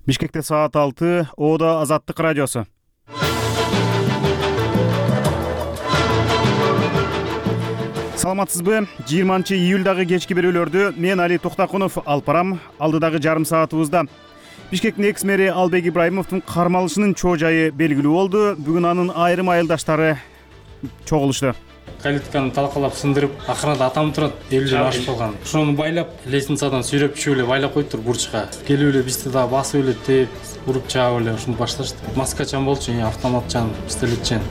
Бишкекте саат 6, Оодо Азаттык радиосу. Саламатсызбы? 20-июлдагы кечки берүүлөрдү мен Али Токтакунов алып барам. Алдыдагы жарым саатыбызда Бишкектин экс-мэри Албек Ибраимовдун кармалышынын чоо жайы белгилүү болду. Бүгүн анын айрым айылдаштары чогулушту. Калитканы талкалап сындырып, акырында атам турат, 50 жыл ашып калган. Ошону байлап, лестницадан сүйрөп түшүп эле байлап койдуптур бурчка. Келип эле бизди да басып эле теп, уруп чаап эле ушуну башташты. Маскачан болчу, автоматчан, пистолетчен.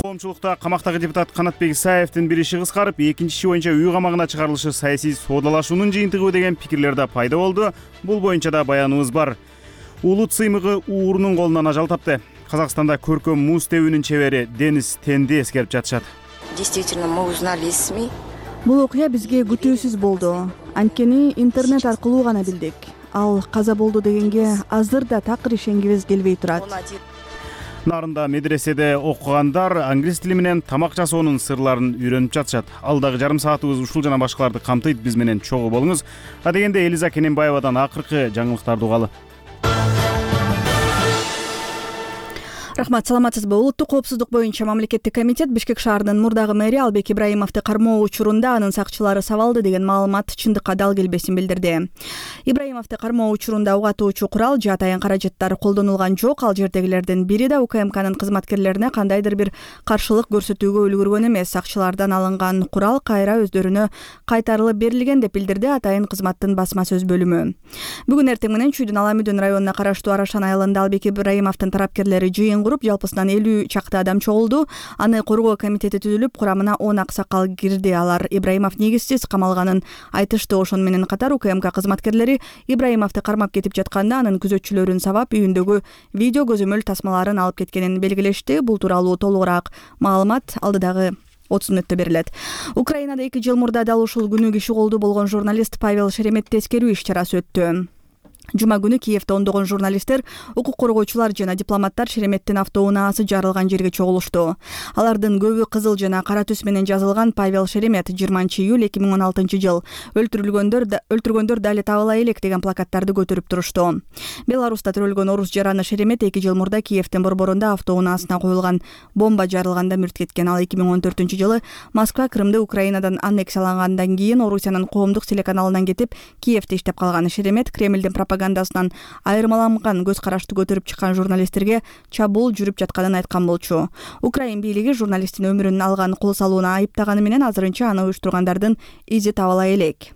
Коомчулукта камактагы депутат Канатбек Исаевдин бир иши кыскарып, экинчи иши боюнча үй камагына чыгарылышы саясий соодалашуунун жыйынтыгы деген пикирлер да пайда болду. Бул боюнча да баяныбыз бар. Улут сыймыгы уурунун колунан ажал тапты. Казакстанда көркөм муз тебүүнүн чебери Денис Тенди эскерип жатышат. Действительно, мы узнали из СМИ. Бул окуя бизге күтүүсүз болду. Анткени интернет аркылуу гана билдик. Ал каза болду дегенге азыр да такыр ишенгибиз келбей турат. Нарында медреседе окугандар англис тили менен тамак жасоонун сырларын үйрөнүп жатышат. Алдагы жарым саатыбыз ушул жана башкаларды камтыйт. Биз менен чогуу болуңуз. Дегенде Элиза Кененбаевадан акыркы жаңылыктарды угалы. Рахмат, саламатсызбы? Улуттук коопсуздук боюнча мамлекеттик комитет Бишкек шаарынын мурдагы мэри Албек Ибраимовду кармоо учурунда анын сакчылары сабалды деген маалымат чындыкка дал келбесин билдирди. Ибраимовду кармоо учурунда угатуучу курал же атайын каражаттар колдонулган жок. Ал жердегилердин бири да УКМКнын кызматкерлерине кандайдыр бир каршылык көрсөтүүгө үлгүргөн эмес. Сакчылардан алынган курал кайра өздөрүнө кайтарылып берилген деп билдирди атайын кызматтын басма сөз бөлүмү. Бүгүн эртең менен Чүйдүн Аламүдүн районуна караштуу Арашан айылында Албек Ибраимовдун тарапкерлери жыйын куруп, жалпысынан 50 чакты адам чогулду. Аны коргоо комитети түзүлүп, курамына 10 аксакал кирди. Алар Ибраимов негизсиз камалганын айтышты. Ошону менен катар УКМК кызматкерлери Ибраимовду кармап кетип жатканда анын күзөтчүлөрүн сабап, үйүндөгү видео көзөмөл тасмаларын алып кеткенин белгилешти. Бул тууралуу толугураак маалымат алдыдагы 30 мүнөттө берилет. Украинада 2 жыл мурда дал ушул күнү киши колду болгон журналист Павел Шереметти эскерүү иш-чарасы өттү. Жума күнү Киевде ондогон журналисттер, укук коргоочулар жана дипломаттар Шереметтин автоунаасы жарылган жерге чогулушту. Алардын көбү кызыл жана кара түс менен жазылган Павел Шеремет 20-июль 2016 өлтүргөндөр дали табыла элек деген плакаттарды көтөрүп турушту. Беларуста төрөлгөн орус жараны Шеремет 2 жыл мурда Киевдин борборунда автоунаасына коюлган бомба жарылганда мүрт кеткен. Ал 2014 Москва Крымды Украинадан аннексиялангандан кийин Орусиянын коомдук телеканалынан кетип, Киевде иштеп калган Шеремет Кремлдин пропагандасынан айырмаланган көз карашты көтөрүп чыккан журналисттерге чабуул жүрүп жатканын айткан болчу. Украин бийлиги журналисттин өмүрүн алган кол салууна айыптаганы менен азырынча аны уюштургандардын изи табыла элек.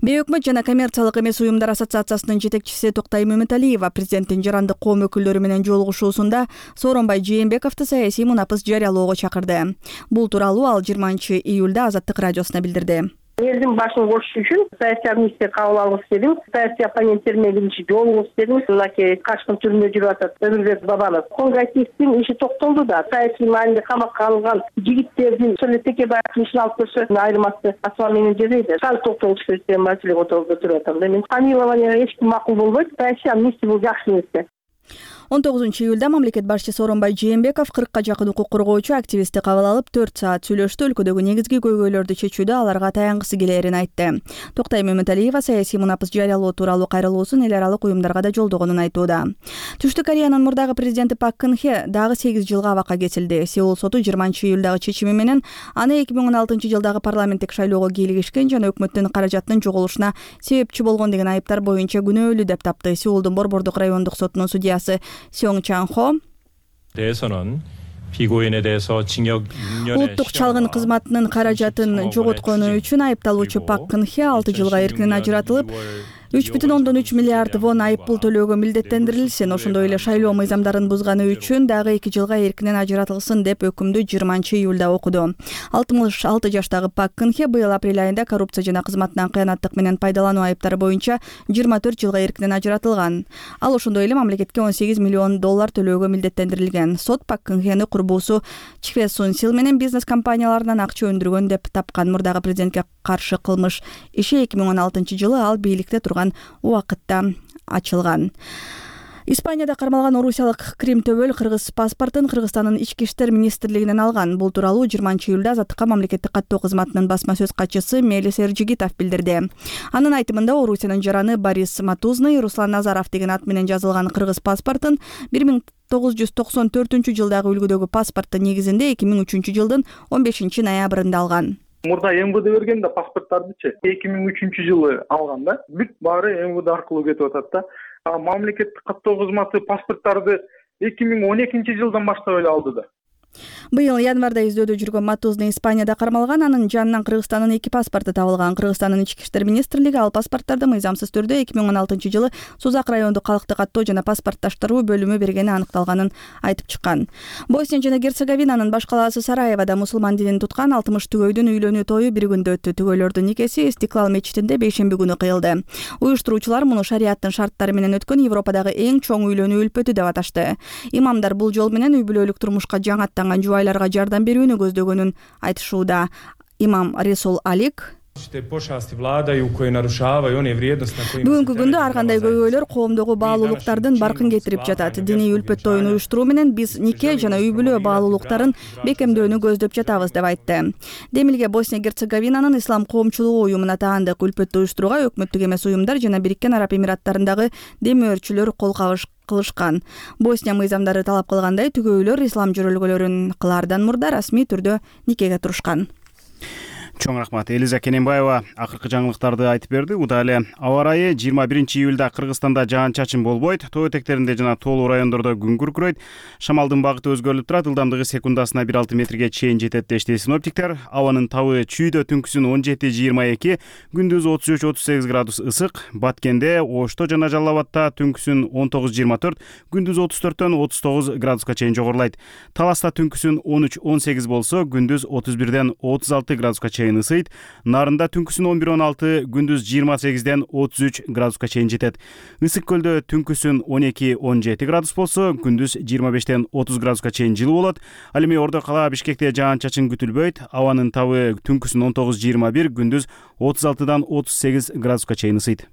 Бейөкмөт жана коммерциялык эмес уюмдар ассоциациясынын жетекчиси Токтай Мөмөталиева президенттин жарандык коом өкүлдөрү менен жолугушуусунда Сооронбай Жээнбековду саясий мунапыс жарыялоого чакырды. Бул тууралуу ал 20-июлда Азаттык радиосуна билдирди. Элдин башын кошуш үчүн саясий амнистия кабыл алгыс дедим. Саясий оппоненттер менен биринчи жолугуш дедим. Мынакей качкын түрмөдө жүрүп атат Өмүрбек Бабанов. Конгрессивдин иши токтолду да. Саясий маанилде камакка алынган жигиттердин Совет Текебаевдин ишин алып көрсө айырмасы асма менен жебейди. Кал токтолуш керек деген маселе көтөрүп атам. Мен помилование эч ким макул болбойт. Саясий амнистия бул жакшы нерсе. 19-июлда мамлекет башчысы Сооронбай Жээнбеков 40-ка жакын укук коргоочу активистти кабыл алып 4 саат сүйлөштү. Өлкөдөгү негизги көйгөйлөрдү чечүүдө аларга таянгысы келерин айтты. Токтай Мөмөталиева саясий мунапыс жарыялоо тууралуу кайрылуусун эл аралык уюмдарга да жолдогонун айтууда. Түштүк Кореянын мурдагы президенти Пак Кын Хе дагы 8 жылга абакка кетилди. Сеул соту 20-июлдагы чечими менен аны 2016 жылдагы парламенттик шайлоого кийлигишкен жана өкмөттүн каражатынын жоголушуна себепчи болгон деген айыптар боюнча күнөөлүү деп тапты. Сеулдун борбордук райондук сотунун судьясы Сёнгчанхо улуттук чалгын кызматынын каражатын жоготкону үчүн айыпталуучу Пак Кын Хе 6 жылга эркинен ажыратылып, 3,3 миллиард вон айыппул төлөөгө милдеттендирилсин. Ошондой эле шайлоо мыйзамдарын бузганы үчүн дагы 2 жылга эркинен ажыратылсын деп өкүмдү 20-июлда окуду. 66 жаштагы Пак Кын Хе быйыл апрель айында коррупция жана кызматынан кыянаттык менен пайдалануу айыптары боюнча 24 жылга эркинен ажыратылган. Ал ошондой эле мамлекетке $18 миллион төлөөгө милдеттендирилген. Сот Пак Кын Хени курбусу Чхве Сун Сил менен бизнес компанияларынан акча өндүргөн деп тапкан. Мурдагы президентке каршы кылмыш иши 2016 жылы ал бийликте турган убакытта ачылган. Испанияда кармалган орусиялык Крим Төбөл кыргыз паспортун Кыргызстандын ички иштер министрлигинен алган. Бул тууралуу 20-июлда Азаттыкка мамлекеттик каттоо кызматынын басма сөз катчысы Мелис Эржигитов билдирди. Анын айтымында Орусиянын жараны Борис Матузный Руслан Назаров деген ат менен жазылган кыргыз паспортун 1994-жылдагы үлгүдөгү паспорттун негизинде 2003-жылдын 15-ноябрында алган. Мурда МВД берген да паспорттардычы 2003-жылы алган да. Бүт баары МВД аркылуу кетип атат да. Мамлекеттик каттоо кызматы паспорттарды 2012-жылдан баштап эле алды да. Быйыл январда издөөдө жүргөн Матузный Испанияда кармалган, анын жанынан Кыргызстандын 2 паспорту табылган. Кыргызстандын ички иштер министрлиги ал паспорттарды мыйзамсыз түрдө 2016-жылы Сузак райондук калктык каттоо жана паспортташтыруу бөлүмү бергени аныкталганын айтып чыккан. Босния жана Герцеговинанын баш калаасы Сараевода мусулман динин туткан 60 түгөйдүн үйлөнүү тою бир күндө өттү. Түгөйлөрдүн никеси Истиклал мечитинде бейшемби күнү кыйылды. Уюштуруучулар муну шариаттын шарттары менен өткөн Европадагы эң чоң үйлөнүү үлпөтү деп аташты. Имамдар бул жол менен үй бүлөлүк турмушка жаңаттанган жубайларга жардам берүүнү көздөгөнүн айтышууда. Имам Ресул Алик бүгүнкү күндө ар кандай көйгөйлөр коомдогу баалуулуктардын баркын кетирип жатат. Диний үлпөт тоюн уюштуруу менен биз нике жана үй бүлө баалуулуктарын бекемдөөнү көздөп жатабыз деп айтты. Демилге Босния Герцеговинанын ислам коомчулугу уюмуна таандык үлпөттү уюштурууга өкмөттүк эмес уюмдар жана Бириккен Араб Эмираттарындагы демөөрчүлөр кол кылышкан. Босния мыйзамдары талап кылгандай түгөйлөр ислам жөрөлгөлөрүн кылаардан мурда расмий түрдө никеге турушкан. Чоң рахмат. Элиза Кененбаева акыркы жаңылыктарды айтып берди. Удале аба ырайы 21-июлда Кыргызстанда жаан-чачын болбойт. Тоо этектеринде жана тоолуу райондордо күн күркүрөйт. Шамалдын багыты өзгөрүлүп турат. Ылдамдыгы секундасына 1,6 метрге чейин жетет дешти синоптиктер. Абанын табы чүйдө түнкүсүн 17-22, күндүз 33-38 градус ысык. Баткенде, Ошто жана Жалал Абадта түнкүсүн 19-24, күндүз 34-төн 39 градуска чейин жогорулайт. Таласта түнкүсүн 13-18 болсо, күндүз 31-ден 36 градуска чейин ысыйт. Нарында түнкүсүн 11-16, күндүз 28-ден 33 градуска чейин жетет. Ысык көлдө түнкүсүн 12-17 градус болсо, күндүз 25-ден 30 градуска чейин жылуу болот. Ал эми Ордо кала Бишкекте жаан-чачын күтүлбөйт. Абанын табы түнкүсүн 19-21, күндүз 36-дан 38 градуска чейин ысыйт.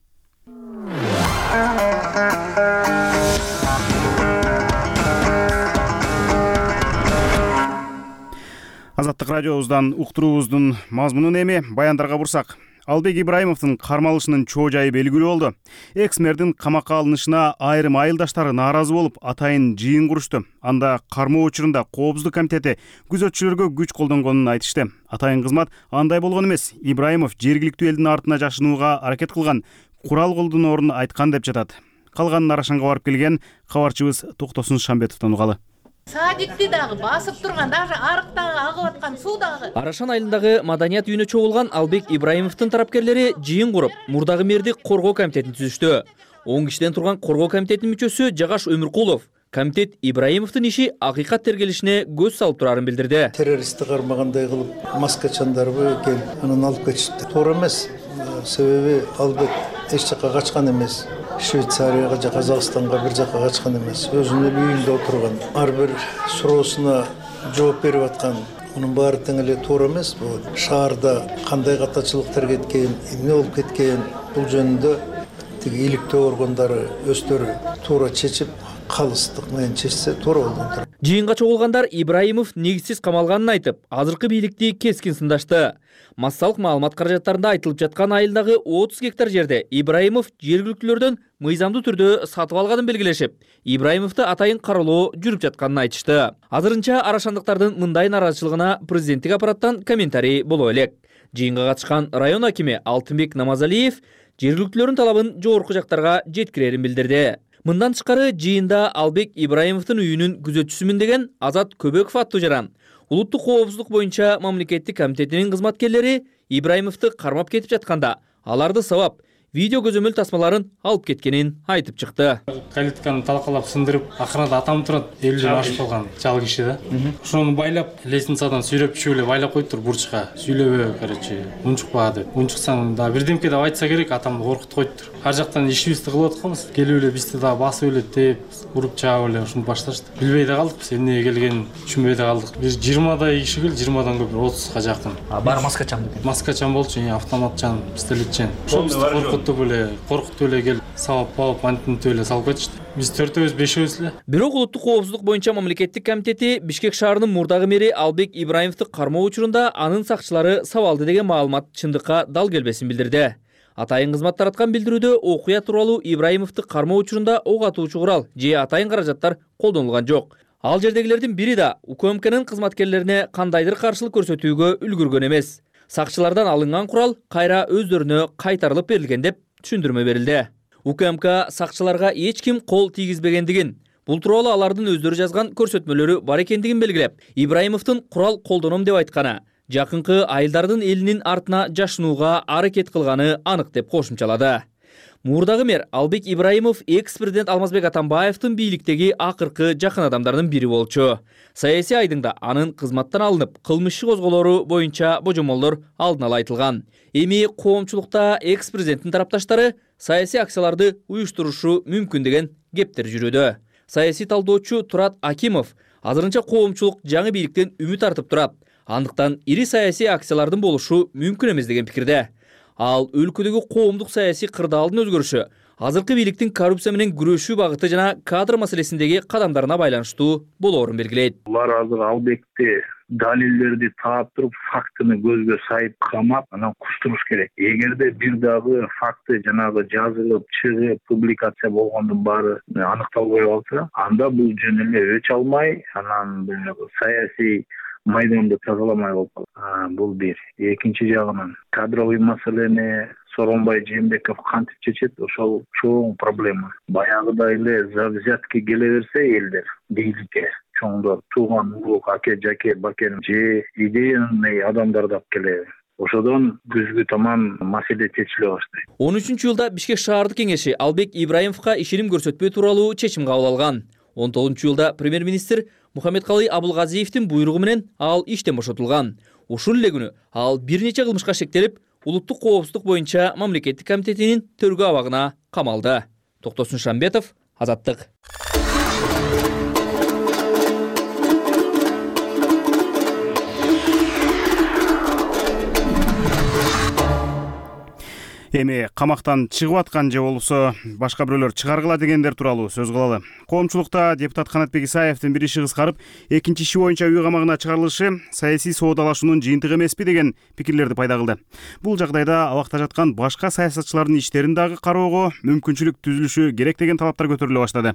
Азаттык радиобуздан уктуруубуздун мазмунун эми баяндарга бурсак. Албек Ибраимовдун кармалышынын чоо жайы белгилүү болду. Экс-мэрдин камакка алынышына айрым айылдаштары нааразы болуп, атайын жыйын курушту. Анда кармоо учурунда Коопсуздук комитети күзөтчүлөргө күч колдонгонун айтышты. Атайын кызмат андай болгон эмес. Ибраимов жергиликтүү элдин артына жашынууга аракет кылган, курал колдоноорун айткан деп жатат. Калганын Арашанга барып келген кабарчыбыз Токтосун Шамбетовдон угалы. Садикти дагы басып турган, даже арыктагы агып аткан суу дагы. Арашан айылындагы маданият үйүнө чогулган Албек Ибраимовдун тараптерлери жыйын куруп, мурдагы мэрди коргоо комитетин түзүштү. 10 кишиден турган коргоо комитетинин мүчөсү Жагаш Өмүркулов комитет Ибраимовдун иши акыйкат тергелишине көз салып турарын билдирди. Террористти кармагандай кылып, маскачандарбы келип, анан алып кетишти. Туура эмес. Себеби Албек эч жака качкан эмес. Швейцарияга же Казакстанга бир жака качкан эмес. Өзүнүн үйүндө отурган. Ар бир суроосуна жооп берип аткан. Мунун баары тең эле туура эмес. Бул шаарда кандай катачылыктар кеткен, эмне болуп кеткен, бул жөнүндө тиги иликтөө органдары өздөрү туура чечип, калыстык менен чечсе туура болду. Жыйынга чогулгандар Ибраимов негизсиз камалганын айтып, азыркы бийликти кескин сындашты. Массалык маалымат каражаттарында айтылып жаткан айылдагы 30 гектар жерде Ибраимов жергиликтүүлөрдөн мыйзамдуу түрдө сатып алганын белгилешип, Ибраимовду атайын каралоо жүрүп жатканын айтышты. Азырынча арашандыктардын мындай нааразычылыгына президенттик аппараттан комментарий боло элек. Жыйынга катышкан район акими Алтынбек Намазалиев жергиликтүүлөрдүн талабын жогорку жактарга жеткирерин билдирди. Мындан тышкары жыйында Албек Ибраимовдун үйүнүн күзөтчүсүмүн деген Азат Көбөков аттуу жаран улуттук коопсуздук боюнча мамлекеттик комитетинин кызматкерлери Ибраимовду кармап кетип жатканда аларды сабап видео көзөмөл тасмаларын алып кеткенин айтып чыкты. Калитканы талкалап сындырып, акырында атам турат, 50 ашып калган чал киши да. Ошону байлап, лестницадан сүйрөп чүгүп эле байлап коюптур бурчка. Сүйлөбө, короче, унчукпа деп. Унчуксаң да бирдемке деп айтса керек, атам коркутуп коюптур. Ар жактан ишибизди кылып атканбыз. Келип эле бизди да басып эле теп, уруп чаап эле ушуну башташты. Билбей да калдык биз, эмнеге келгенин түшүнбөй да калдык. Биз 20дай киши кел, 20дан көп 30га жакын. Баары маскачан экен. Маскачан болчу, автоматчан, пистолетчан. Ошо бизди коркутуп ойнотуп эле коркутуп эле келип сабап алып антинтип эле салып кетишти. Биз 4-5 эле. Бирок улуттук коопсуздук боюнча мамлекеттик комитети Бишкек шаарынын мурдагы мэри Албек Ибраимовду кармоо учурунда анын сакчылары сабалды деген маалымат чындыкка дал келбесин билдирди. Атайын кызмат тараткан билдирүүдө окуя тууралуу Ибраимовду кармоо учурунда ок атуучу курал же атайын каражаттар колдонулган жок. Ал жердегилердин бири да УКМКнын кызматкерлерине кандайдыр каршылык көрсөтүүгө үлгүргөн эмес. Сакчылардан алынган курал кайра өздөрүнө кайтарылып берилген деп түшүндүрмө берилди. УКМК сакчыларга эч ким кол тийгизбегендигин, бул тууралуу алардын өздөрү жазган көрсөтмөлөрү бар экендигин белгилеп, Ибраимовдун курал колдоном деп айтканы, жакынкы айылдардын элинин артына жашынууга аракет кылганы анык деп кошумчалады. Мурдагы мэр Албек Ибраимов экс-президент Алмазбек Атамбаевдин бийликтеги акыркы жакын адамдардын бири болчу. Саясий айдыңда анын кызматтан алынып, кылмыш иши козголору боюнча божомолдор алдын ала айтылган. Эми коомчулукта экс-президенттин тарапташтары саясий акцияларды уюштурушу мүмкүн деген кептер жүрүүдө. Саясий талдоочу Турат Акимов азырынча коомчулук жаңы бийликтен үмүт артып турат. Андыктан ири саясий акциялардын болушу мүмкүн эмес деген пикирде. Ал өлкөдөгү коомдук саясий кырдаалдын өзгөрүшү, азыркы бийликтин коррупция менен күрөшүү багыты жана кадр маселесиндеги кадамдарына байланыштуу болоорун белгилейт. Булар азыр Албекти далилдерди таап туруп, фактыны көзгө сайып камап, анан куштуруш керек. Эгерде бир дагы факты жанагы жазылып, чыгып, публикация болгондун баары аныкталбай калса, анда бул жөн эле өч алмай, анан саясий майданды тазаламай калып калат. Бул бир. Экинчи жагынан кадровый маселени Сооронбай Жээнбеков кантип чечет, ошол чоң проблема. Баягыдай эле за взятки келе берсе элдер бийликке, чоңдор, тууган улук, аке, жаке, бакен же идеяный адамдарды алып келе. Ошодон күзгү таман маселе чечиле баштайт. 13-жылда Бишкек шаардык кеңеши Албек Ибраимовго ишеним көрсөтпөө тууралуу чечим кабыл алган. 19-жылда премьер-министр Мухаммедкалый Абулгазиевдин буйругу менен ал иштен бошотулган. Ушул эле күнү ал бир нече кылмышка шектелип, улуттук коопсуздук боюнча мамлекеттик комитетинин төргө абагына камалды. Токтосун Шамбетов, Азаттык. Эми камактан чыгып аткан же болбосо башка бирөөлөр чыгаргыла дегендер тууралуу сөз кылалы. Коомчулукта депутат Канатбек Исаевдин бир иши кыскарып, экинчи иши боюнча үй камагына чыгарылышы саясий соодалашуунун жыйынтыгы эмеспи деген пикирлерди пайда кылды. Бул жагдайда абакта жаткан башка саясатчылардын иштерин дагы кароого мүмкүнчүлүк түзүлүшү керек деген талаптар көтөрүлө баштады.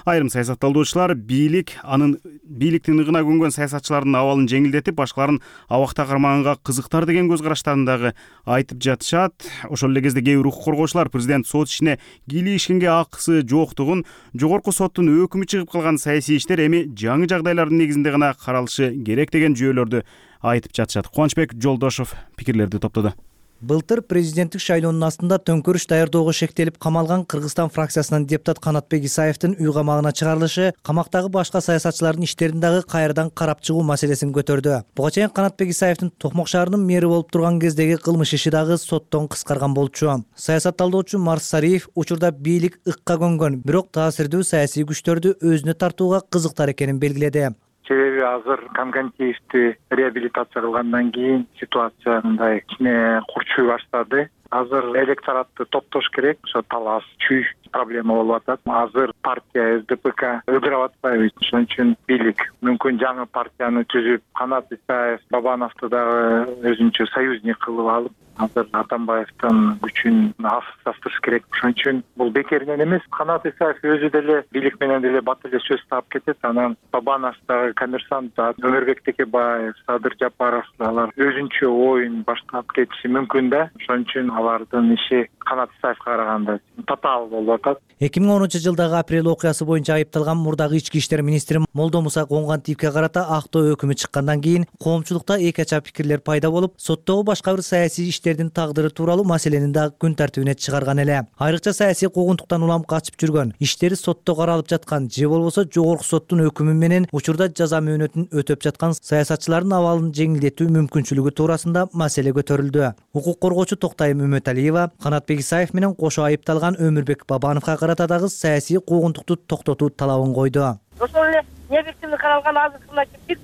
Айрым саясатталуучулар бийликтин ыгына көнгөн саясатчылардын абалын жеңилдетип, башкаларын абакта кармаганга кызыктар деген көз караштарын дагы айтып жатышат. Ошол эле кезде кээ бир укук коргоочулар президент сот ишине кийлигишкенге акысы жоктугун, жогорку соттун өкүмү чыгып калган саясий иштер эми жаңы жагдайлардын негизинде гана каралышы керек деген жүйөлөрдү айтып жатышат. Кубанычбек Жолдошов пикирлерди топтоду. Былтыр президенттик шайлоонун астында төңкөрүш даярдоого шектелип камалган Кыргызстан фракциясынын депутат Канатбек Исаевдин үй камагына чыгарылышы камактагы башка саясатчылардын иштерин дагы кайрадан карап чыгуу маселесин көтөрдү. Буга чейин Канатбек Исаевдин Токмок шаарынын мэри болуп турган кездеги кылмыш иши дагы соттон кыскарган болчу. Саясатталдоочу Марс Сариев учурда бийлик ыкка көнгөн, бирок таасирдүү саясий күчтөрдү өзүнө тартууга кызыктар экенин белгиледи. Себеби азыр Камгантиевди реабилитация кылгандан кийин ситуация мындай кичине курчуй баштады. Азыр электоратты топтош керек. Ошо талаш, чүй проблема болуп атат. Азыр партия СДПК ыдырап атпайбы. Ошон үчүн бийлик мүмкүн жаңы партияны түзүп, Канат Исаев, Бабановду дагы өзүнчө союзник кылып алып, азыр Атамбаевдин күчүн астырыш керек. Ошон үчүн бул бекеринен эмес. Канат Исаев өзү деле бийлик менен деле бат эле сөз таап кетет. Анан Бабанов дагы коммерсант, Өмүрбек Текебаев, Садыр Жапаров алар өзүнчө оюн баштап кетиши мүмкүн да. Ошон үчүн алардын иши Канат Исаевге караганда татаал болуп атат. 2010-жылдагы апрель окуясы боюнча айыпталган мурдагы ички иштер министри Молдомуса Конгантиевге карата актоо өкүмү чыккандан кийин коомчулукта эки ача пикирлер пайда болуп, соттогу башка бир саясий иштердин тагдыры тууралуу маселени дагы күн тартибине чыгарган эле. Айрыкча саясий куугунтуктан улам качып жүргөн, иштери сотто каралып жаткан же болбосо жогорку соттун өкүмү менен учурда жаза мөөнөтүн өтөп жаткан саясатчылардын абалын жеңилдетүү мүмкүнчүлүгү туурасында маселе көтөрүлдү. Укук коргоочу Токтайым Үмөталиева Канатбек Исаев менен кошо айыпталган Өмүрбек Бабановго карата дагы саясий куугунтукту токтотуу талабын койду. Ошол эле объективдүү каралган азыркы мына бир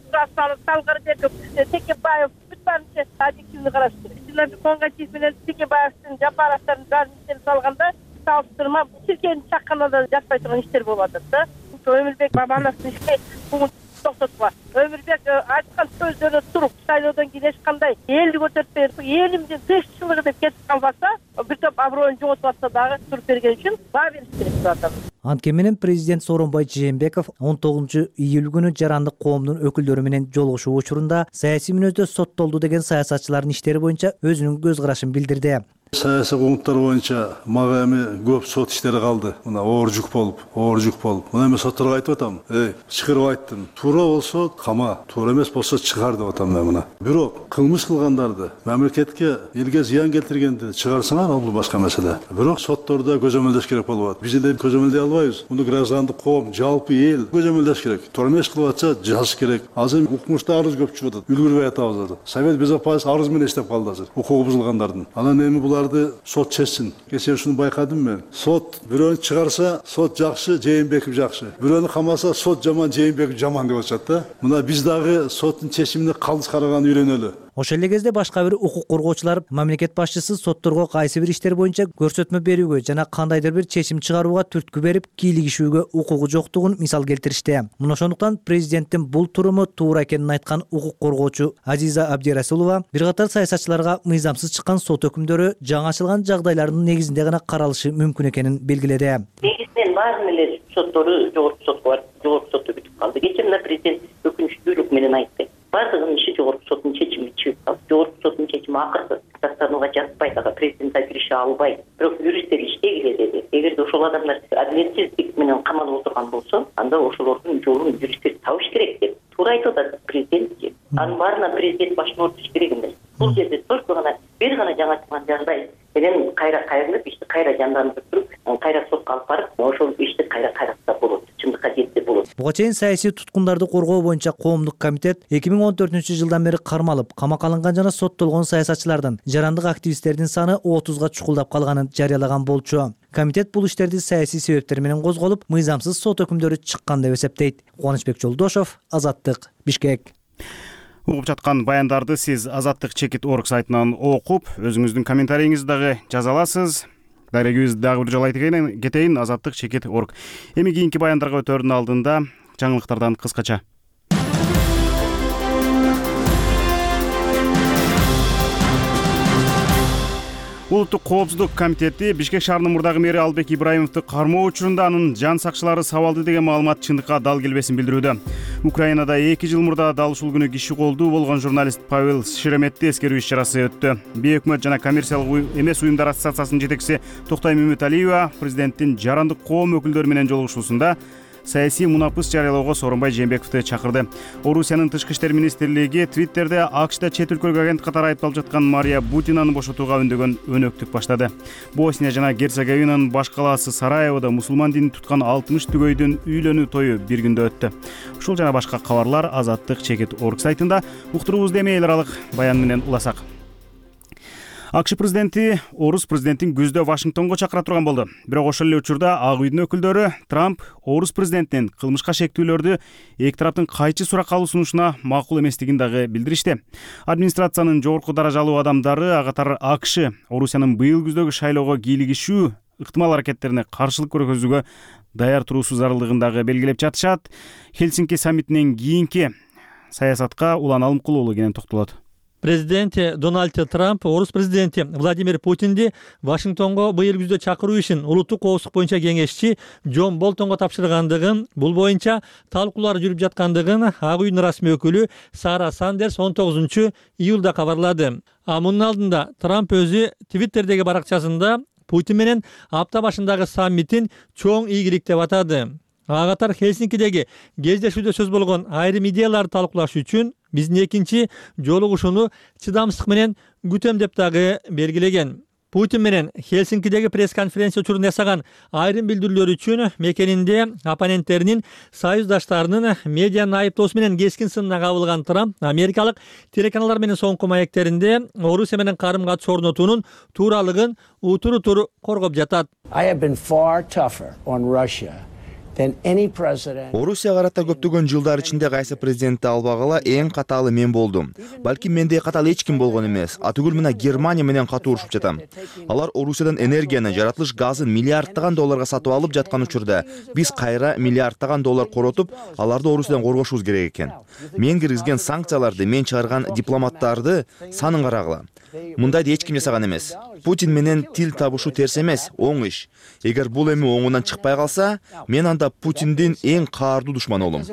салгар деп Текебаев бүт баарын объективдүү караш керек. Владимир Конгатиев менен Текебаевдин Жапаровдун баарын салганда салыштырма Тиркенин чакканада жатпай турган иштер болуп атат да. Өмүрбек Бабановдун иши токтотуп, Өмүрбек айткан сөздөрү туруп, шайлоодон кийин эч кандай элди көтөртпөй, элимдин тынччылыгы деп кетип калбаса, бир топ аброюн жоготуп атса дагы туруп берген үчүн баа бериш керек деп атам. Анткени менен президент Сооронбай Жээнбеков 19-июль күнү жарандык коомдун өкүлдөрү менен жолугушуу учурунда саясий мүнөздө соттолду деген саясатчылардын иштери боюнча өзүнүн көз карашын билдирди. Саясий куугунттар боюнча мага эми көп сот иштери калды. Мына оор жүк болуп. Мына эми сотторго айтып атам. Чыгарып айттым. Туура болсо кама, туура эмес болсо чыгар деп атам мен мына. Бирок кылмыш кылгандарды, мамлекетке, элге зыян келтиргенди чыгарсаңар, ал башка маселе. Бирок соттордо көзөмөлдөш керек болуп атат. Биз эле көзөмөлдөй албайбыз. Муну граждандык коом, жалпы эл көзөмөлдөш керек. Туура эмес кылып атса, жазыш керек. Азыр укмушта арыз көп чыгып атат. Үлгүрбөй атабыз азыр. Совет Безопасности арыз менен иштеп калды азыр. Укугу бузулгандардын. Анан эми буларды сот чечсин. Кечээ ушуну байкадым мен. Сот бирөөнү чыгарса, сот жакшы, Жээнбеков жакшы. Бирөөнү камаса, сот жаман, Жээнбеков жаман деп атышат да. Мына биз дагы соттун чечимине калыс караганды үйрөнөлү. Ошол эле кезде башка бир укук коргоочулар мамлекет башчысы сотторго кайсы бир иштер боюнча көрсөтмө берүүгө жана кандайдыр бир чечим чыгарууга түрткү берип кийлигишүүгө укугу жоктугун мисал келтиришти. Мына ошондуктан президенттин бул туруму туура экенин айткан укук коргоочу Азиза Абдирасулова бир катар саясатчыларга мыйзамсыз чыккан сот өкүмдөрү жаңы ачылган жагдайлардын негизинде гана каралышы мүмкүн экенин белгиледи. Негизинен баардын эле соттору жогорку сотко барып, жогорку сотто бүтүп калды. Кечээ мына президент өкүнүчтүүлүк менен айтты. Бардыгынын иши жогорку соттун чечими чыгып калды. Жогорку соттун чечими акыркы тастанууга жатпайт, ага президент да кирише албайт. Бирок юристтер иштегиле деди. Эгерде ошол адамдар адилетсиздик менен камалып отурган болсо, анда ошолордун жолун юристтер табыш керек деп туура айтып атат президент. Анын баарына президент башын ортуш керек эмес. Бул жерде только гана бир гана жаңы ачылган жагдай менен кайра кайрылып, ишти кайра жандандырып туруп, кайра сотко алып барып, ошол ишти кайра кайратса болот. Чындыкка жетсе болот. Буга чейин саясий туткундарды коргоо боюнча коомдук комитет 2014-жылдан бери кармалып, камакка алынган жана соттолгон саясатчылардын, жарандык активисттердин саны 30га чукулдап калганын жарыялаган болчу. Комитет бул иштерди саясий себептер менен козголуп, мыйзамсыз сот өкүмдөрү чыккан деп эсептейт. Кубанычбек Жолдошов, Азаттык, Бишкек. Угуп жаткан баяндарды сиз Азаттык-Чекит.org сайтынан окуп, өзүңүздүн комментарийиңизди дагы жаза аласыз. Дарегибиз дагы бир жолу айтып кетейин, Азаттык-Чекит.org. Эми кийинки баяндарга өтөрдүн алдында жаңылыктардан кыскача. Улуттук коопсуздук комитети Бишкек шаарынын мурдагы мэри Албек Ибраимовду кармоо учурунда анын жан сакчылары сабалды деген маалымат чындыкка дал келбесин билдирүүдө. Украинада 2 жыл мурда дал ушул күнү киши колдуу болгон журналист Павел Шереметти эскерүү иш-чарасы өттү. Бейөкмөт жана коммерциялык эмес уюмдар ассоциациясынын жетекчиси Токтой Мөмөталиева президенттин жарандык коом өкүлдөрү менен жолугушуусунда саясий мунапыс жарыялоого Сооронбай Жээнбековду чакырды. Орусиянын тышкы иштер министрлиги Твиттерде АКШда чет өлкөлүк агент катары айыпталып жаткан Мария Бутинаны бошотууга үндөгөн өнөктүк баштады. Босния жана Герцеговинанын баш калаасы Сараеводо мусулман динин туткан 60 түгөйдүн үйлөнүү тою бир күндө өттү. Ушул жана башка кабарлар Азаттык-Чекит.org сайтында. Уктуруубузду эми эл аралык баян менен уласак. АКШ президенти орус президентин күздө Вашингтонго чакыра турган болду. Бирок ошол эле учурда Ак үйдүн өкүлдөрү Трамп орус президентинин кылмышка шектүүлөрдү эки тараптын кайчы суракка алуу сунушуна макул эместигин дагы билдиришти. Администрациянын жогорку даражалуу адамдары ага катар АКШ Орусиянын быйыл күздөгү шайлоого кийлигишүү ыктымал аракеттерине каршылык көргөзүүгө даяр туруусу зарылдыгын дагы белгилеп жатышат. Хельсинки саммитинен кийинки саясатка Улан Алымкулуу кенен токтолот. Президент Дональд Трамп орус президенти Владимир Путинди Вашингтонго быйыл күздө чакыруу ишин улуттук коопсуздук боюнча кеңешчи Джон Болтонго тапшыргандыгын, бул боюнча талкуулар жүрүп жаткандыгын Ак үйдүн расмий өкүлү Сара Сандерс 19-июлда кабарлады. Мунун алдында Трамп өзү Твиттердеги баракчасында Путин менен апта башындагы саммитин чоң ийгилик деп атады. Ага катар Хельсинкидеги кездешүүдө сөз болгон айрым идеяларды талкуулаш үчүн биздин экинчи жолугушууну чыдамсыздык менен күтөм деп дагы белгилеген. Путин менен Хельсинкидеги пресс-конференция учурунда ясаган айрым билдирүүлөр үчүн мекенинде оппоненттеринин, союздаштарынын медианы айыптоосу менен кескин сынына кабылган Трамп америкалык телеканалдар менен соңку маектеринде Орусия менен карым-катыш орнотуунун тууралыгын утур-утур коргоп жатат. Орусия карата көптөгөн жылдар ичинде кайсы президентти албагыла эң катаалы мен болдум. Балким мендей катаал эч ким болгон эмес. Атүгүл мына Германия менен катуу урушуп жатам. Алар Орусиядан энергияны, жаратылыш газын миллиарддаган долларга сатып алып жаткан учурда биз кайра миллиарддаган доллар коротуп, аларды Орусиядан коргошубуз керек экен. Мен киргизген санкцияларды, мен чыгарган дипломаттарды санын карагыла. Мындайды эч ким жасаган эмес. Путин менен тил табышуу терс эмес, оң иш. Эгер бул эми оңунан чыкпай калса, мен анда Путиндин эң каардуу душманы болом.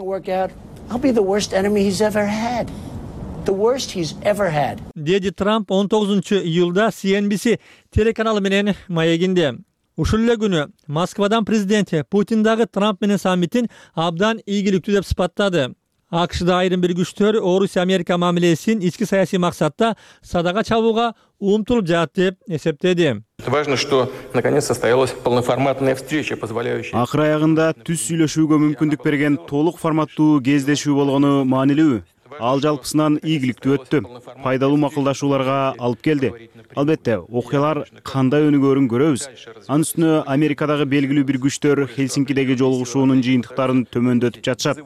Деди Трамп 19-июлда CNBC телеканалы менен маегинде. Ушул эле күнү Москвадан президент Путин дагы Трамп менен саммитин абдан ийгиликтүү деп сыпаттады. АКШда айрым бир күчтөр Орусия-Америка мамилесин ички саясий максатта садага чабууга умтулуп жатат деп эсептеди. Важно, что наконец состоялась полноформатная встреча, позволяющая... Акыр аягында түз сүйлөшүүгө мүмкүндүк берген толук форматтуу кездешүү болгону маанилүү. Ал жалпысынан ийгиликтүү өттү. Пайдалуу макулдашууларга алып келди. Албетте, окуялар кандай өнүгөрүн көрөбүз. Анын үстүнө Америкадагы белгилүү бир күчтөр Хельсинкидеги жолугушуунун жыйынтыктарын төмөндөтүп жатышат.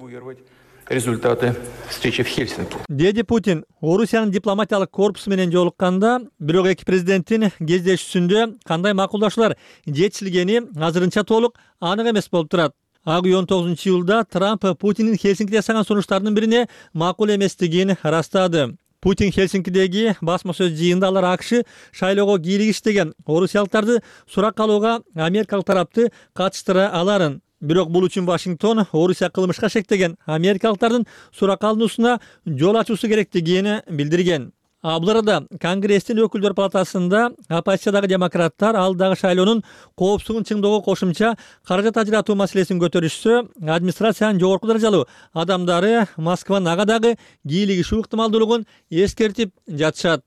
Результаты встречи в Хельсинки. Деди Путин Орусиянын дипломатиялык корпусу менен жолукканда, бирок эки президенттин кездешүүсүндө кандай макулдашуулар жетишилгени азырынча толук анык эмес болуп турат. Ак үй 19-июлда Трамп Путиндин Хельсинкиде жасаган сунуштарынын бирине макул эместигин ырастады. Путин Хельсинкидеги басма сөз жыйынында алар АКШ шайлоого кийлигиш деген орусиялыктарды сурак алууга америкалык тарапты катыштыра аларын. Бирок бул үчүн Вашингтон Орусия кылмышка шектеген америкалыктардын сурак алуусуна жол ачуусу керектигин билдирген. Бул арада Конгресстин өкүлдөр палатасында оппозициядагы демократтар алдагы шайлоонун коопсуздугун чыңдоого кошумча каражат ажыратуу маселесин көтөрүшсө, администрациянын жогорку даражалуу адамдары Москванын ага дагы кийлигишүү ыктымалдуулугун эскертип жатышат.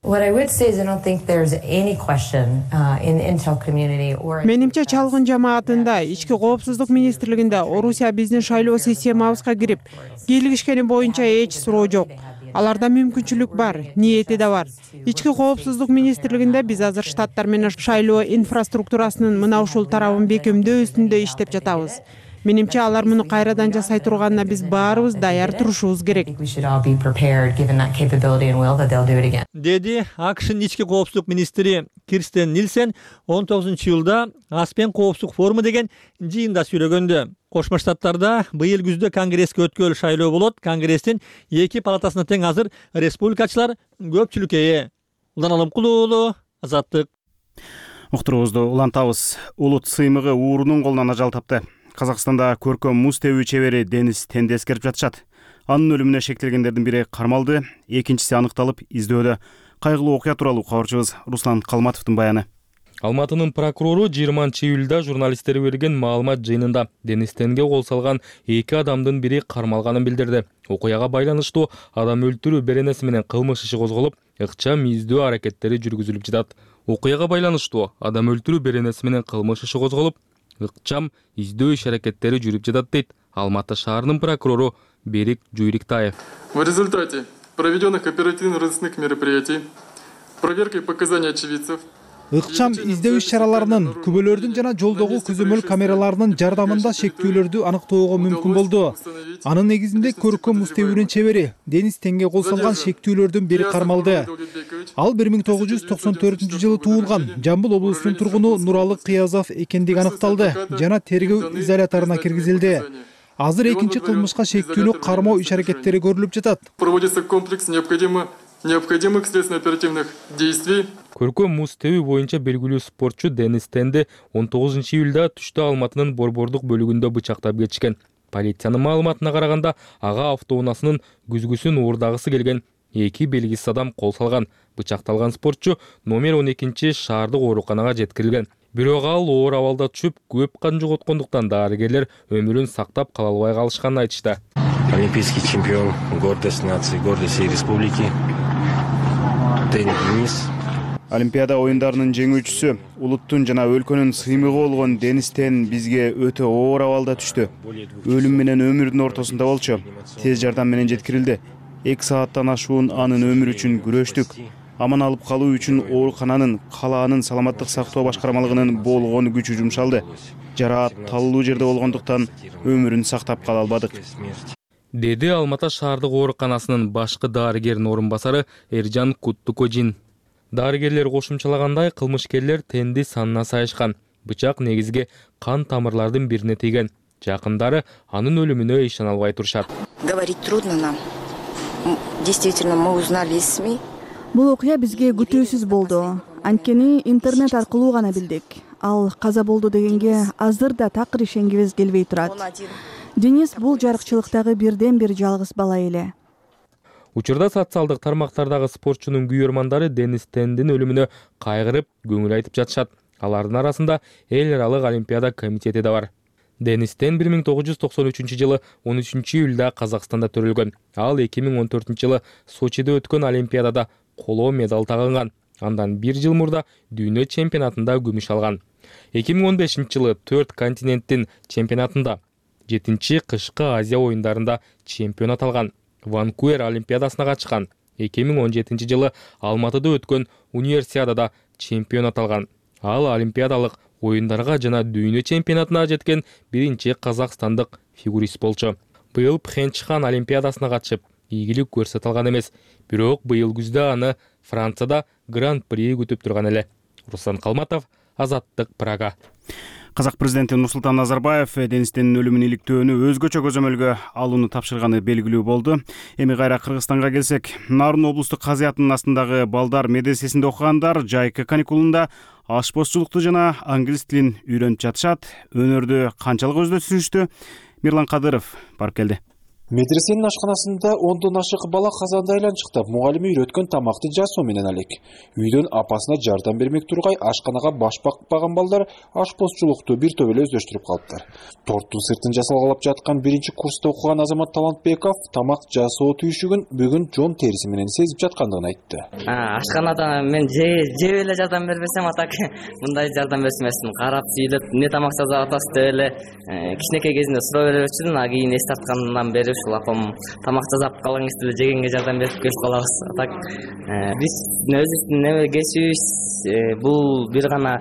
Менимче чалгын жамаатында, ички коопсуздук министрлигинде Орусия биздин шайлоо системабызга кирип, кийлигишкени боюнча эч суроо жок. Аларда мүмкүнчүлүк бар, ниети да бар. Ички коопсуздук министрлигинде биз азыр штаттар менен шайлоо инфраструктурасынын мына ушул тарабын бекемдөө үстүндө иштеп жатабыз. Менимче алар муну кайрадан жасай турганына биз баарыбыз даяр турушубуз керек. Деди АКШнын ички коопсуздук министри Кирстен Нильсен 19-июлда Аспен коопсуздук форуму деген жыйында сүйлөгөндө. Кошмо Штаттарда быйыл күздө Конгресске өткөл шайлоо болот. Конгресстин эки палатасына тең азыр республикачылар көпчүлүккө ээ. Улан Алымкулуу, Азаттык. Уктуруубузду улантабыз. Улут сыймыгы уурунун колунан ажал тапты. Казакстанда көркөм муз тебүү чебери Денис Тенди эскерип жатышат. Анын өлүмүнө шектелгендердин бири кармалды, экинчиси аныкталып издөөдө. Кайгылуу окуя тууралуу кабарчыбыз Руслан Калматовдун баяны. Алматынын прокурору 20-июлда журналисттерге берген маалымат жыйынында Денис Тенге кол салган эки адамдын бири кармалганын билдирди. Окуяга байланыштуу адам өлтүрүү беренеси менен кылмыш иши козголуп, ыкчам издөө аракеттери жүргүзүлүп жатат. Окуяга байланыштуу адам өлтүрүү беренеси менен кылмыш иши козголуп, ыкчам издөө иш аракеттери жүрүп жатат дейт Алматы шаарынын прокурору Берик Жуйриктаев. В результате проведенных оперативно-розыскных мероприятий, проверкой показаний очевидцев, ыкчам издөө иш-чараларынын, күбөлөрдүн жана жолдогу көзөмөл камераларынын жардамында шектүүлөрдү аныктоого мүмкүн болду. Анын негизинде көркөм муз тебүүнүн чебери Денис Тенге кол салган шектүүлөрдүн бири кармалды. Ал 1994-жылы туулган, Жамбыл облусунун тургуну Нуралы Кыязов экендиги аныкталды жана тергөө изоляторуна киргизилди. Азыр экинчи кылмышка шектүүнү кармоо иш-аракеттери көрүлүп жатат. Проводится комплекс необходимых следственно-оперативных действий. Көркөм муз тебүү боюнча белгилүү спортчу Денис Тенди 19-июлда түштө Алматынын Борбордук бөлүгүндө бычактап кетишкен. Полициянын маалыматына караганда, ага автоунаасынын күзгүсүн уурдагысы келген эки белгисиз адам кол салган. Бычакталган спортчу номер 12 шаардык ооруканага жеткирилген. Бирок ал оор абалда түшүп, көп кан жоготкондуктан дарыгерлер өмүрүн сактап кала албай калышканын айтышты. Олимпийский чемпион, гордость нации, гордость всей республики. Денис. Олимпиада оюндарынын жеңүүчүсү, улуттун жана өлкөнүн сыймыгы болгон Денис Тен бизге өтө оор абалда түштү. Өлүм менен өмүрдүн ортосунда болчу. Тез жардам менен жеткирилди. 2 сааттан ашуун анын өмүрү үчүн күрөштүк. аман алып калуу үчүн оорукананын калаанын саламаттык сактоо башкармалыгынын болгон күчү жумшалды. Жараат талуу жерде болгондуктан өмүрүн сактап кала албадык, деди Алматы шаардык ооруканасынын башкы дарыгеринин орун басары Эржан Куттукожин. Дарыгерлер кошумчалагандай, кылмышкерлер тенди санына сайышкан. Бычак негизги кан тамырлардын бирине тийген. Жакындары анын өлүмүнө ишене албай турушат. Говорить трудно нам. Действительно, мы узнали из СМИ. Бул окуя бизге күтүүсүз болду. Анткени интернет аркылуу гана билдик. Ал каза болду дегенге азыр да такыр ишенгибиз келбей турат. Денис бул жарыкчылыктагы бирден бир жалгыз бала эле. Учурда социалдык тармактардагы спортчунун күйөрмандары Денис Тендин өлүмүнө кайгырып, көңүл айтып жатышат. Алардын арасында эл аралык Олимпиада комитети да бар. Денис Тен 1993 жылы 13 июлда Казакстанда төрөлгөн. Ал 2014 жылы Сочиде өткөн Олимпиадада коло медаль тагынган. Андан бир жыл мурда дүйнө чемпионатында күмүш алган. 2015 жылы 4 континенттин чемпионатында, 7-чи кышкы Азия оюндарында чемпионат алган. Ванкувер Олимпиадасына катышкан. 2017 жылы Алматыда өткөн универсиадада чемпионат алган. Ал олимпиадалык оюндарга жана дүйнө чемпионатына жеткен биринчи казакстандык фигурист болчу. Быйыл Пхенчхан Олимпиадасына катышып, ийгилик көрсөтө алган эмес. Бирок быйыл күздө аны Францияда Гран-при күтүп турган эле. Руслан Калматов, Азаттык, Прага. Казак президенти Нурсултан Назарбаев Денистин өлүмүн иликтөөнү өзгөчө көзөмөлгө алууну тапшырганы белгилүү болду. Эми кайра Кыргызстанга келсек, Нарын облустук казыятынын астындагы балдар медресесинде окугандар жайкы каникулунда ашпозчулукту жана англис тилин үйрөнүп жатышат. Өнөрдү канчалык өздөй түшүнүштү? Мирлан Кадыров барып келди. Медресенин ашканасында 10дон ашык бала казанда айланчыктап, мугалими үйрөткөн тамакты жасоо менен алек. Үйдөн апасына жардам бермек тургай ашканага баш бакпаган балдар ашпозчулукту бир топ эле өздөштүрүп калыптыр. Торттун сыртын жасалгалап жаткан 1-курста окуган Азамат Талантбеков тамак жасоо түйшүгүн бүгүн жон териси менен сезип жаткандыгын айтты. Ашканада мен жеп эле жардам бербесем, атак мындай жардам берсем эмесмин. Карап сүйлөп, эмне тамак жасап атасыз деп эле кичинекей кезинде суроо берчүмүн, а кийин эс тарткандан бери ушул апам тамак жасап калган кезде жегенге жардам берип келип калабыз. Так биз өзүбүздүн неме кесибибиз бул бир гана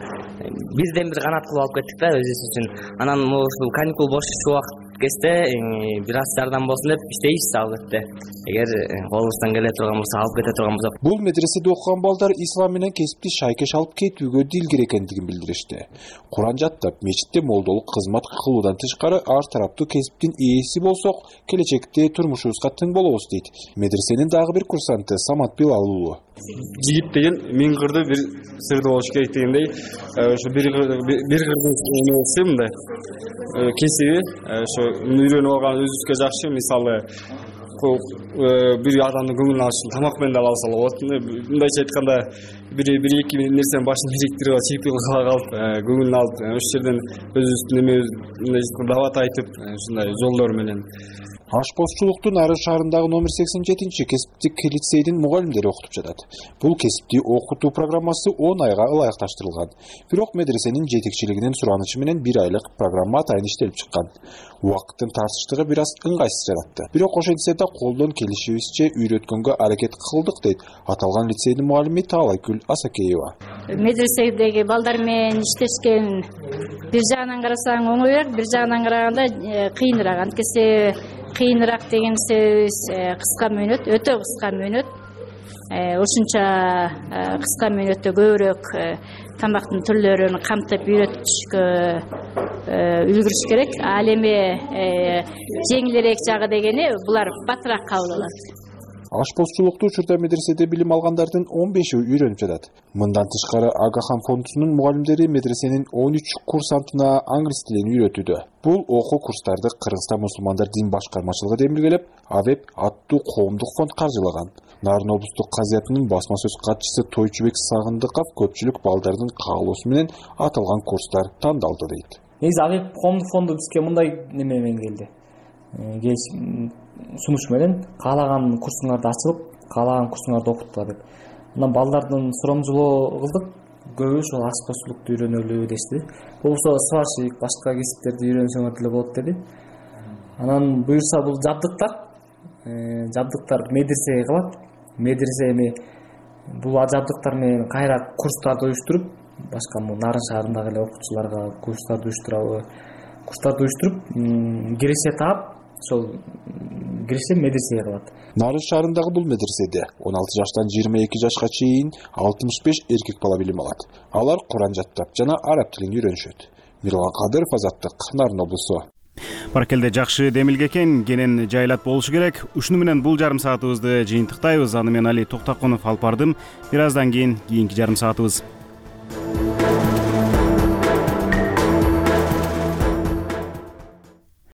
бирден бир канат кылып алып кеттик да өзүбүз үчүн. Анан ушул каникул бош убакыт кезде бир аз жардам болсун деп иштейбиз албетте. Эгер колубуздан келе турган болсо алып кете турган болсок. Бул медреседе окуган балдар ислам менен кесипти шайкеш алып кетүүгө дилгир экендигин билдиришти. Куран жаттап, мечитте молдолук кызмат кылуудан тышкары ар тараптуу кесиптин ээси болсок, келечекте турмушубузга тың болобуз дейт медресенин дагы бир курсанты Самат Билал. Жигит деген миң кырды бир сырды болуш керек дегендей, ошо бир кырдын эмеси мындай кесиби, ошо үйрөнүп алган өзүбүзгө жакшы. Мисалы, бир адамдын көңүлүн алыш үчүн тамак менен да алса болот. Мындайча айтканда, бир-эки нерсенин башын бириктирип алып, чийип калып, көңүлүн алып, ошол жерден өзүбүздүн эме дават айтып, ушундай жолдор менен. Ашпозчулуктун Ары шаарындагы номер 87 кесиптик лицейдин мугалимдери окутуп жатат. Бул кесипти окутуу программасы 10 айга ылайыкташтырылган. Бирок медресенин жетекчилигинин суранычы менен 1 айлык программа атайын иштелип чыккан. Убакыттын тартыштыгы бир аз ыңгайсыз жаратты. Бирок ошентсе да колдон келишибизче үйрөткөнгө аракет кылдык дейт аталган лицейдин мугалими Таалайкүл Асакеева. Медреседеги балдар менен иштешкен бир жагынан карасаң оңоюраак, бир жагынан караганда кыйыныраак. Анткени кыйыныраак деген себебибиз кыска мөөнөт, өтө кыска мөөнөт. Ошунча кыска мөөнөттө көбүрөөк тамактын түрлөрүн камтып үйрөтүшкө үлгүрүш керек. Ал эми жеңилирээк жагы дегени булар батыраак кабыл алат. Ашпозчулукту учурда медреседе билим алгандардын 15-и үйрөнүп жатат. Мындан тышкары Агахан фондунун мугалимдери медресенин 13 курсантына англис тилин үйрөтүүдө. Бул окуу курстарды Кыргызстан мусулмандар дин башкармачылыгы демилгелеп, АВЭП аттуу коомдук фонд каржылаган. Нарын облустук казыятынын басма сөз катчысы Тойчубек Сагындыков көпчүлүк балдардын каалоосу менен аталган курстар тандалды дейт. Негизи АВЭП коомдук фонду бизге мындай неме менен келди. Сунуш менен каалаган курсуңарды ачылып, каалаган курсуңарды окутула деп. Анан балдардын сурамжылоо кылдык. Көбү ошол ашпозчулукту үйрөнөлү дешти. Болбосо сварщик, башка кесиптерди үйрөнсөңөр деле болот деди. Анан буюрса бул жабдыктар медресеге калат. Медресе эми бул жабдыктар менен кайра курстарды уюштуруп, башка Нарын шаарындагы эле окуучуларга курстарды уюштуруп, киреше таап, ошол киреше медресеге кылат. Нарын шаарындагы бул медреседе 16 жаштан 22 жашка чейин 65 эркек бала билим алат. Алар Куран жаттап жана араб тилин үйрөнүшөт. Мирлан Кадыров, Азаттык, Нарын облусу. Баракелде, жакшы демилге экен, кенен жайлат болушу керек. Ушуну менен бул жарым саатыбызды жыйынтыктайбыз. Аны мен Али Токтоконов алып бардым. Бир аздан кийин кийинки жарым саатыбыз.